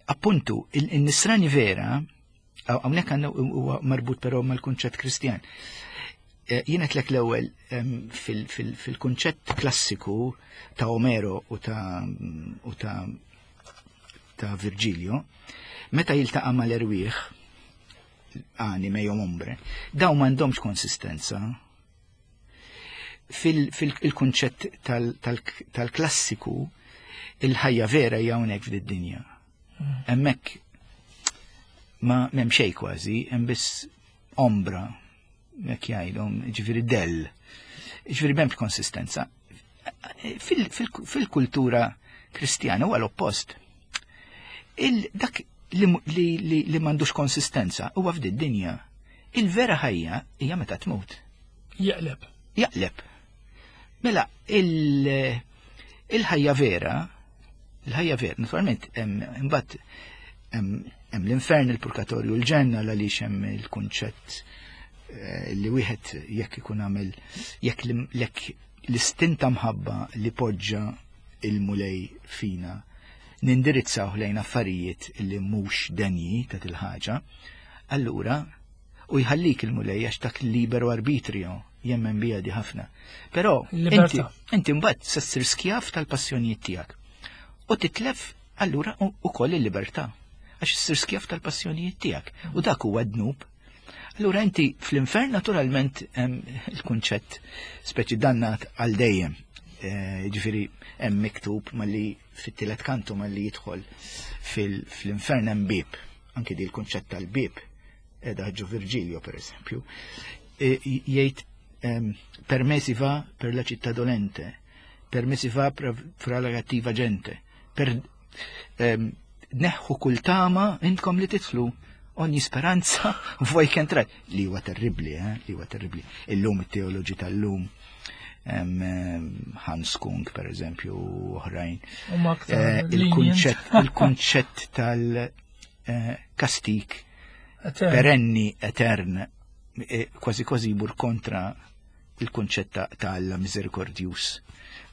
appuntu il-nisrani vera Hawnhekk għandna huwa marbut però mal-kunċett Kristjan. Eh, jien qed l-ewwel fil-kunċett klassiku ta' Omero u ta' u ta' ta' Virgilio, meta jiltaqa' mal-erwieħ anime jew ombre, daw m'għandhomx konsistenza fil-kunċett tal-klassiku il-ħajja vera hija hawnhekk fid-dinja. Hemmhekk ma m'hemm xejn kważi, hemm biss ombra, jekk jgħidhom, ġifieri dell. Ġifieri m'hemmx konsistenza. Fil-kultura kristjana huwa l-oppost. Dak li, li, li, li m'għandux konsistenza huwa f'did dinja. Il-vera ħajja hija meta tmut. Jaqleb. Jaqleb. Mela, il-ħajja vera Il-ħajja vera, naturalment, imbagħad hemm l-infern, il-purgatorju, l-ġenna għaliex hemm il-kunċett eh, li wieħed jekk ikun għamel jekk l-istinta mħabba li poġġa il-mulej fina nindirizzaw lejn affarijiet li mhux denji ta' til-ħaġa, allura u jħallik il-mulej għax dak liberu arbitrio jemmen bija di ħafna. Però inti, inti mbagħad se ssir skjav tal-passjonijiet tiegħek. U titlef allura ukoll il-libertà għax issir skjav tal-passjonijiet tiegħek. U dak huwa dnub. Allura inti fl-infern naturalment il-kunċett speċi dannat għal dejjem. Eh, ġifieri hemm miktub malli fit-tielet kantu malli jidħol fil-infern hemm bib. Anki di l-kunċett tal-bib edha ġo Virgilio per eżempju, e, jgħid ehm, per me si va per la città dolente, per me si va fra la cattiva gente, per ehm, neħħu kull tama intkom li titlu ogni speranza voi che entrate. Li huwa terribli, eh? Li huwa terribli. Illum it-teoloġi tal-lum ehm, Hans Kung, per eżempju, oħrajn. Eh, il-kunċett tal-kastik eh, perenni etern, eh, kważi kważi jmur kontra il-kunċett ta' Alla miserikordjus,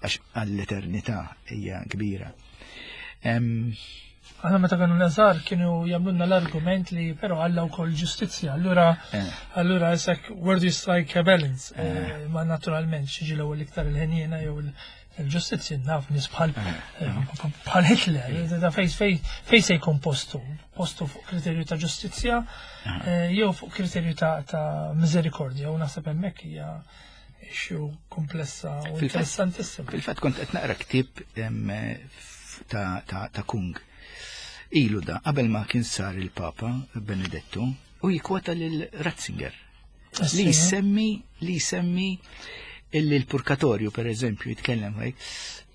għax għall-eternità hija kbira. Aħna meta kienu nazar kienu jagħmlulna l-argument li però Alla wkoll ġustizzja. Allura eh. allura isek where do you strike a balance? Eh. Eh, ma naturalment xiġi l-ewwel iktar il-ħenjena jew il-ġustizzja naf nies bħal bħal Hitler, da fej fej fej se jkun postu, postu fuq kriterju ta' ġustizzja jew fuq kriterju ta' miżerikordja u naħseb hemmhekk hija issue komplessa u interessantissima. Fil-fatt kont qed naqra ktieb ta' Kung. Ilu da, qabel ma kien sar il-Papa Benedettu, u jikwota lil Ratzinger. Li jsemmi, li jsemmi illi l-purkatorju, per eżempju, jitkellem għaj,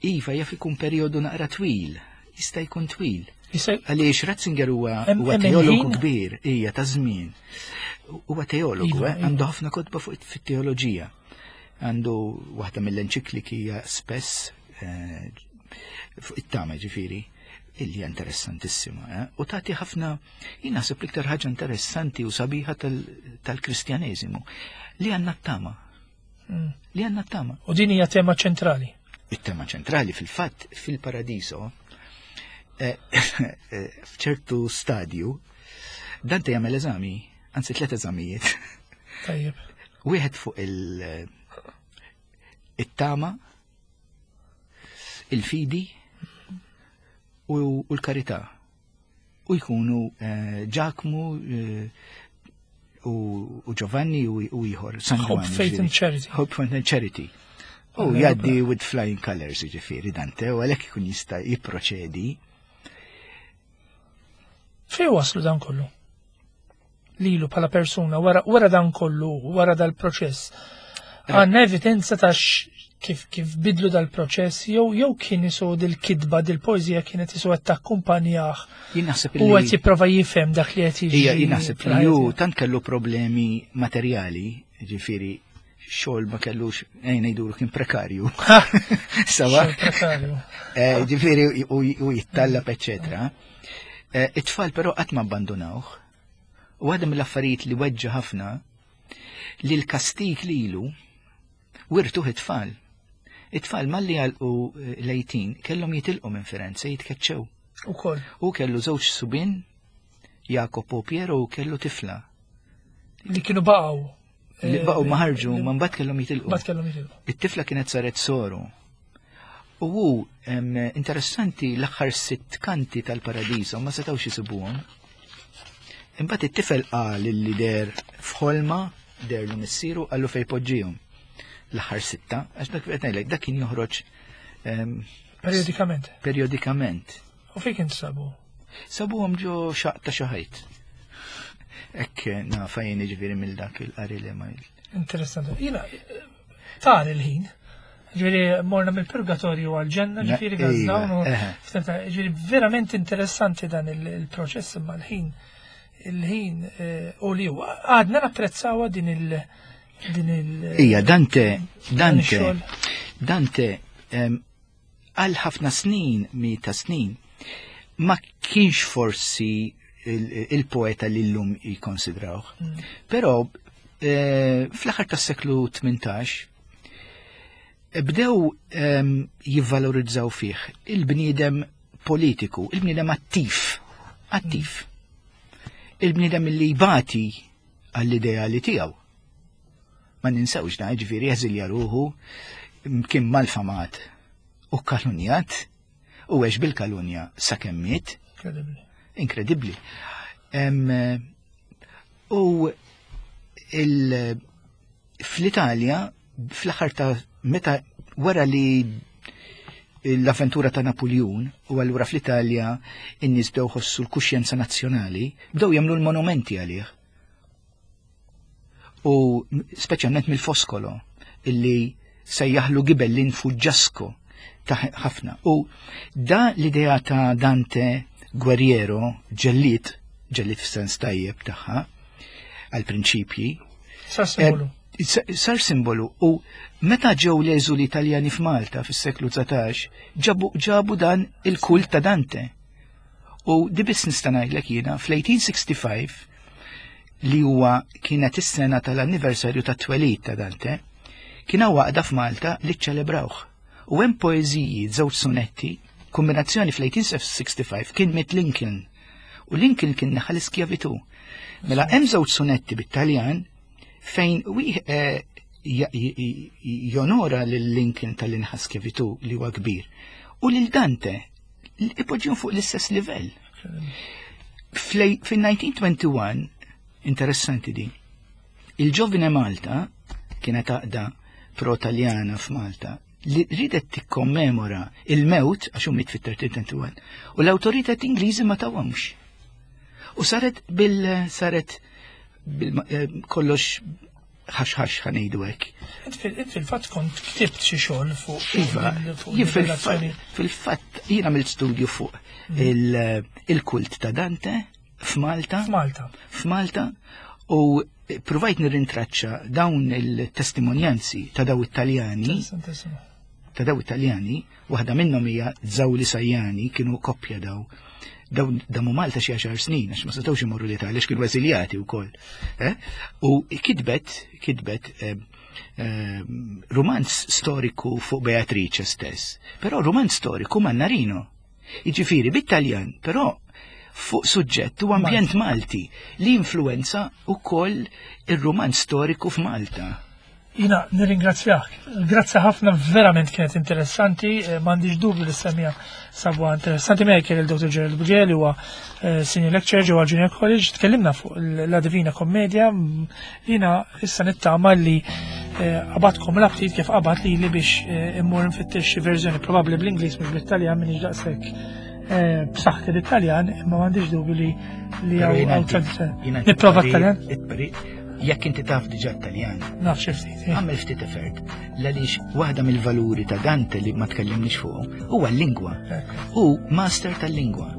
iva jaf ikun periodu naqra twil, jista' jkun twil. Għaliex Ratzinger huwa teologu kbir, hija ta' żmien. Huwa teologu, iva, eh, iva. għandu ħafna kotba fuq fit-teoloġija. Għandu waħda mill-enċikliki hija spess eh, fuq it-tama ġifieri illi hija interessantissima. Eh? U tagħti ħafna, jien naħseb l-iktar ħaġa interessanti u sabiħa tal-Kristjaneżimu li għandna t-tama. Mm. Li għandna t-tama. U din hija tema ċentrali. It-tema ċentrali fil-fatt fil-paradiso eh, eh, f'ċertu stadju Dante jagħmel eżami, anzi tliet eżamijiet. Tajjeb. Wieħed fuq il-tama, il-fidi u l-karità. U jkunu eh, Ġakmu eh, u Giovanni u ieħor. San Hope, Faith and Charity. Hope, Faith and Charity. U jaddi with flying colors, ġifiri, Dante, u għalhekk ikun jista' jipproċedi. Fej waslu dan kollu? Lilu bħala persuna, wara, wara dan kollu, wara dal-proċess. Eh. Għanna evidenza ta' kif kif bidlu dal-proċess jew jew kien isu dil-kitba dil-poeżija kienet isu qed takkumpanjah. Jien naħseb li u qed jipprova jifhem dak li qed jiġri. Ija, jien naħseb li hu tant kellu problemi materjali, ġifieri xogħol ma kellux ejn ngħidulu kien prekarju. Sawa. Prekarju. Eh, ġifieri u jittallab eċċetera. Eh, it-tfal però qatt ma abbandunawh. U għadha mill-affarijiet li weġġa ħafna li l-kastik lilu wirtuh it-tfal. It-tfal malli għalqu eh, lejtin kellhom jitilqu minn Firenze jitkeċċew. Ukoll. U kellu żewġ subin, Jacopo Piero u kellu tifla. Li kienu baqgħu. Li eh, baqgħu ma ħarġu, ma mbagħad kellhom jitilqu. Mbagħad kellhom jitilqu. It-tifla kienet saret soru. U hu interessanti l-aħħar sitt kanti tal-paradiso ma setgħux isibuhom. Imbagħad it-tifel qal li der f'ħolma derlu missieru qallu fejn poġġihom. L-aħħar sitta, għax dak qed ngħidlek dak kien joħroġ periodikament. Periodikament. U fejn kien sabu? Sabuhom ġo xaq ta' xi ħajt. Ekk nafa jien ġifieri mill dak il-qari li ma. Interessanti. Jiena tar il-ħin. Ġifieri morna mill-purgatorju għal-ġenna, ġifieri għazzawn. Ġifieri verament interessanti dan il-proċess imma l-ħin. Il-ħin eh, u li huwa għadna napprezzawa din il- din il- Ija, Dante, Dante, Dante, għal ħafna snin, mijiet ta' snin, ma kienx forsi il-poeta li l-lum jikonsidrawh. Mm. Però eh, fl-aħħar tas-seklu 18 bdew ehm, jivvalorizzaw fih il-bniedem politiku, il-bniedem attiv, attiv. Mm. Il-bniedem li jbati għall-ideali tiegħu. Ma ninsewx da, ġifieri jeżilja ruħu kien malfamat u kalunjat u għex bil-kalunja sakemm miet. Inkredibbli. U fl-Italja, fl-aħħar ta' meta wara li l-avventura ta' Napoleon u allura fl-Italja in-nies bdew ħossu l-kuxjenza nazzjonali, bdew jagħmlu l-monumenti għalih. U speċjalment mill-Foskolo illi sejjaħlu Gibellin Fuġġasko ta' ħafna. U da l-idea ta' Dante Guerriero ġellit, ġellit f'sens tajjeb tagħha, għal-prinċipji. Sar simbolu. Eh, sar simbolu u meta ġew l-eżuli Italjani f'Malta fis-seklu 19 ġabu dan il-kult ta' Dante. U di biss nista' ngħidlek jiena fl-1865 li huwa kienet is-sena tal-anniversarju tat-twelid ta' Dante, kien hawn għaqda f'Malta li ċċelebrawh. U hemm poeżiji, żewġ sonetti, kombinazzjoni fl-1865 kien miet Lincoln. U Lincoln kien neħa l-iskjavitu. Mela hemm żewġ sonetti bit-Taljan fejn eh, jonora lil Lincoln tal-inħa skjavitu li huwa kbir u lil Dante ipoġġihom fuq l-istess livell. Fil-1921, interessanti di, il-ġovine Malta kienet għaqda pro-Taljana f'Malta li ridet tikkommemora il-mewt għax miet fit-1321 u l-awtoritet Ingliżi ma tawhomx. U saret bil saret bil eh, kollox ħax-ħax ħanejdu hekk. Int fil-fatt kont ktibt xi xogħol fuq. Iva, jien fil-fatt jien għamilt studju fuq mm. il-kult ta' Dante f'Malta. F'Malta. F'Malta u provajt nirrintraċċa dawn il-testimonjanzi ta' daw it-Taljani. Ta' daw it-Taljani, waħda minnhom hija Zawli Sajjani, kienu koppja daw dawn damu Malta xi għaxar snin għax ma setgħux imorru l-Italja għax kienu eżiljati wkoll. Eh? U kitbet kitbet eh, eh, romanz storiku fuq Beatrice stess, però romanz storiku Mannarino. Jiġifieri bit-Taljan, però fuq suġġett u ambjent Malti li influenza wkoll ir-rumanz storiku f'Malta. Jina nirringrazzjak. Grazzi ħafna verament kienet interessanti, eh, m'għandix dubju li semija sabuha interessanti miegħi kien il-Dr. Gerald Buġel huwa eh, senior lecturer ġewwa Junior College, tkellimna fuq la Divina Commedia, jina issa nittama li eh, qabadkom l-aptit kif qabad li li biex immur nfittex xi verżjoni probabbli bl-Ingliż mhux bl-Italjan minn daqshekk b'saħħti l-Italjan, imma m'għandix dubju li li hawn tradizzjoni. Nipprova Taljan? Jekk inti taf diġà Taljan. Naf xi ftit. Eh. Għamel ftit effort. Għaliex waħda mill-valuri ta' Dante li ma tkellimniex fuq huwa l-lingwa. Hu master tal-lingwa.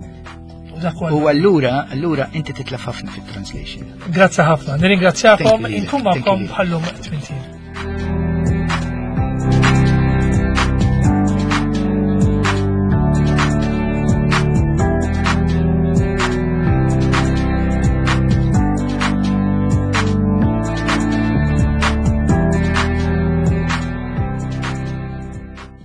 U allura, allura inti titlef ħafna fit-translation. Grazzi ħafna. Nirringrazzjakom, inkun magħkom bħallum 80.